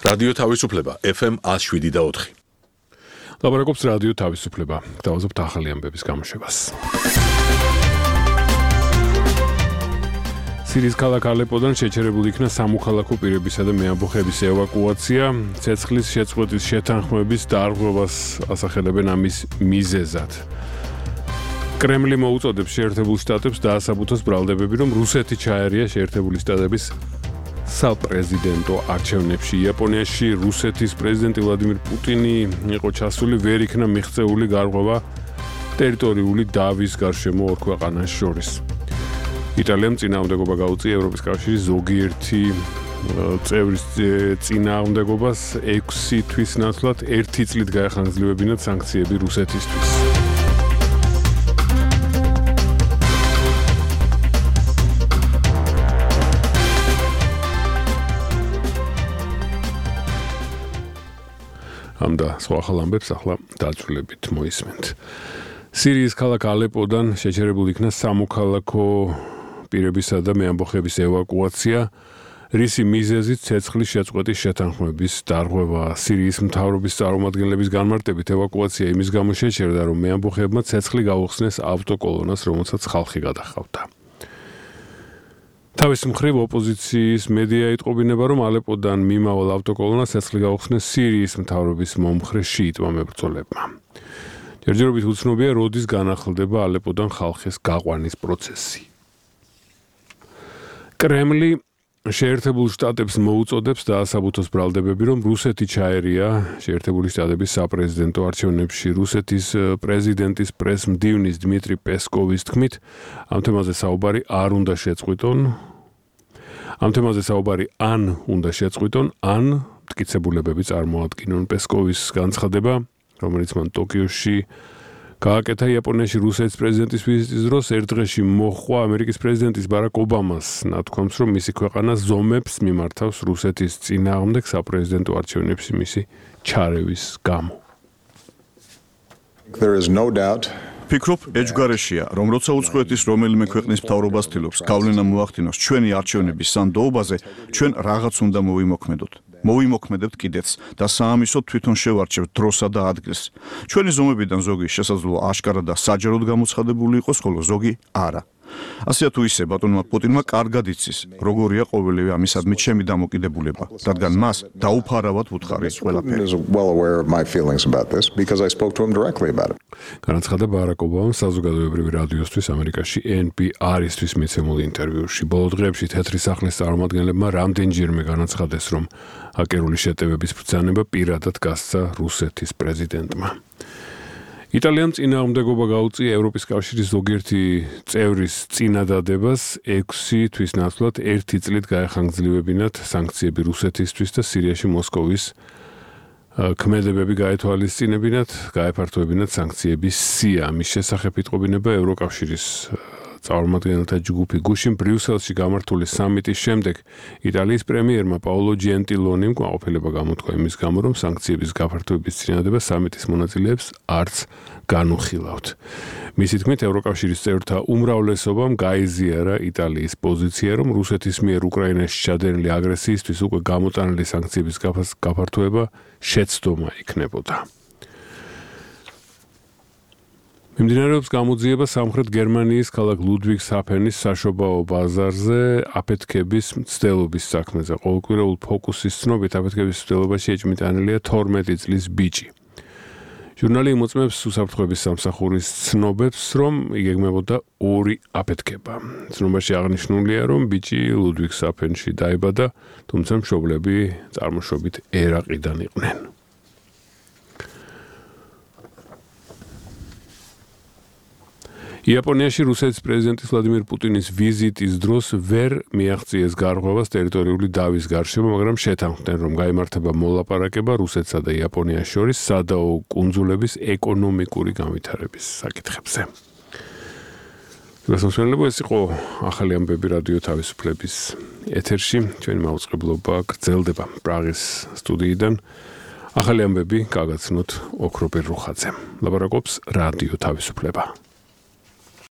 რადიო თავისუფლება FM 107.4. ლაბორატორიის რადიო თავისუფლება. დავაზობთ ახალი ამბების გამოშვებას. სირიის ქალაქ ალეპოდან შეჩერებული იქნა სამოქალაქო პირებისა და მეამბოხების ევაკუაცია. ცეცხლის შეწყვეტის შეთანხმების დარღვევას ასახელებენ ამის მიზეზად. კრემლი მოუწოდებს შეერთებულ შტატებს დაასაბუთოს ბრალდებები, რომ რუსეთი ჩაერია შეერთებული შტატების საპრეზიდენტო არჩევნებში. იაპონიაში რუსეთის პრეზიდენტი ვლადიმირ პუტინი იყო ჩასული, ვერ იქნა მიღწეული გარღვევა ტერიტორიული დავის გარშემო ორ ქვეყანას შორის. იტალიამ წინააღმდეგობა გაუწია ევროპის კავშირის ზოგიერთი წევრის წინააღმდეგობას 6 თვის ნაცვლად 1 წლით გაეხანგრძლიებინათ სანქციები რუსეთისთვის. ამდა სხვა ახალ ამბებს ახლა დაწვრილებით მოისმენთ. სირიის ქალაქ ალეპოდან შეჩერებული იქნა სამოქალაქო პირებისა და მეამბოხების ევაკუაცია, რისი მიზეზით ცეცხლის შეწყვეტის შეთანხმების დარღვევა. სირიის მთავრობის წარმომადგენლების განმარტებით ევაკუაცია იმის გამო შეჩერდა, რომ მეამბოხებმა ცეცხლი გაუხსნეს ავტოკოლონას, რომელსაც ხალხი გადაჰყავდა. თავის მხრივ ოპოზიციის მედია იტყობინება, რომ ალეპოდან მიმავალ ავტოკოლონას ცეცხლი გაუხსნეს სირიის მთავრობის მომხრე შიიტმა მებრძოლებმა. ჯერჯერობით უცნობია, როდის განახლდება ალეპოდან ხალხის გაყვანის პროცესი. კრემლი შეერთებულ შტატებს მოუწოდებს დაასაბუთოს ბრალდებები, რომ რუსეთი ჩაერია შეერთებული შტატების საპრეზიდენტო არჩევნებში. რუსეთის პრეზიდენტის პრესმდივნის დმიტრი პესკოვის თქმით, ამ თემაზე საუბარი ან უნდა შეწყვიტონ, ან მტკიცებულებები წარმოადგინონ. პესკოვის განცხადება, რომელიც მან ტოკიოში გააკეთა იაპონიაში რუსეთის პრეზიდენტის ვიზიტის დროს, ერთ დღეში მოჰყვა ამერიკის პრეზიდენტის ბარაკ ობამას ნათქვამს, რომ მისი ქვეყანა ზომებს მიმართავს რუსეთის წინააღმდეგ საპრეზიდენტო არჩევნებში მისი ჩარევის გამო. ფიქრობ, ეჯგარეშია, რომ როცა უცხოეთის რომელიმე ქვეყნის მთავრობას ცდილობს გავლენა მოახდინოს ჩვენი არჩევნების სანდოობაზე, ჩვენ რაღაც უნდა მოვიმოქმედოთ. მოვიმოქმედებთ კიდეც და საამისოდ თვითონ შევარჩევთ დროსა და ადგილს. ჩვენი ზომებიდან ზოგი შესაძლოა აშკარად და საჯაროდ გამოცხადებული იყოს, ხოლო ზოგი არა. ასეა თუ ისე ბატონმა პუტინმა კარგად იცის, როგორია ყოველივე ამისადმი ჩემი დამოკიდებულება, რადგან მას დაუფარავად ვუთხარი ყველაფერი. განაცხადა ბარაკ ობამამ საზოგადოებრივი რადიოსთვის ამერიკაში NPR-ისთვის მიცემულ ინტერვიუში. ბოლო დღეებში თეთრი სახლის წარმომადგენლებმა რამდენჯერმე განაცხადეს, რომ აკერული შეტევების ბრძანება პირადად გასცა რუსეთის პრეზიდენტმა. იტალიამ წინააღმდეგობა გაუწია ევროპის კავშირის ზოგიერთი წევრის წინადადებას 6 თვის ნაცვლად 1 წლით გაეხანგრძლიებინათ სანქციები რუსეთისთვის და სირიაში მოსკოვის ქმედებები გაეთვალისწინებინათ, გაეფართოებინათ სანქციების სია. მის შესახებ იტყობინება ევროკავშირის წარმომადგენელთა ჯგუფი. გუშინ ბრიუსელში გამართული სამიტის შემდეგ იტალიის პრემიერმა პაოლო ჯენტილონიმ კმაყოფილება გამოთქვა იმის გამო, რომ სანქციების გაფართოების წინადადება სამიტის მონაწილეებს არც განუხილავთ. მისი თქმით, ევროკავშირის წევრთა უმრავლესობამ გაიზიარა იტალიის პოზიცია, რომ რუსეთის მიერ უკრაინაში ჩადენილი აგრესიისთვის უკვე გამოტანილი სანქციების გაფართოება შეცდომა იქნებოდა. მიმდინარეობს გამოძიება სამხრეთ გერმანიის ქალაქ ლუდვიგსჰაფენის საშობაო ბაზარზე აფეთქების მცდელობის საქმეზე. ყოველკვირეულ ფოკუსის ცნობით აფეთქების მცდელობაში ეჭმიტანილია 12 წლის ბიჭი. ჟურნალი იმოწმებს უსაფრთხოების სამსახურის ცნობებს, რომ იგეგმებოდა 2 აფეთქება. ცნობაში აღნიშნულია, რომ ბიჭი ლუდვიგსჰაფენში დაიბადა, თუმცა მშობლები წარმოშობით ერაყიდან იყვნენ. იაპონიაში რუსეთის პრეზიდენტის ვლადიმირ პუტინის ვიზიტის დროს ვერ მიაღწიეს გარღვევას ტერიტორიული დავის გარშემო, მაგრამ შეთანხმდნენ, რომ გაიმართება მოლაპარაკება რუსეთსა და იაპონიას შორის სადაო კუნძულების ეკონომიკური განვითარების საკითხებზე. ეს იყო ახალი ამბები რადიო თავისუფლების ეთერში. ჩვენი მაუწყებლობა გრძელდება პრაღის სტუდიიდან. ახალი ამბები გაგაცნოთ ოქროპირ რუხაძემ. ლაბორატორიის რადიო თავისუფლება.